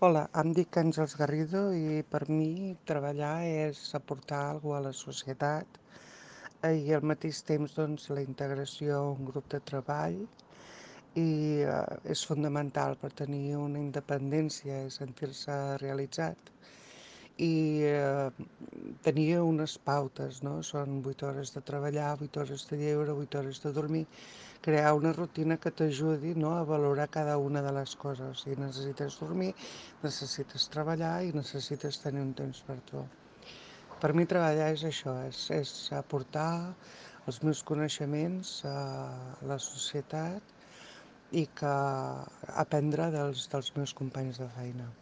Hola, em dic Àngels Garrido i per mi treballar és aportar alguna cosa a la societat i al mateix temps doncs, la integració a un grup de treball i és fonamental per tenir una independència i sentir-se realitzat i tenir unes pautes, no? Són 8 hores de treballar, 8 hores de lleure, 8 hores de dormir, crear una rutina que t'ajudi, no, a valorar cada una de les coses. Si necessites dormir, necessites treballar i necessites tenir un temps per tu. Per mi treballar és això, és aportar els meus coneixements a la societat i que aprendre dels meus companys de feina.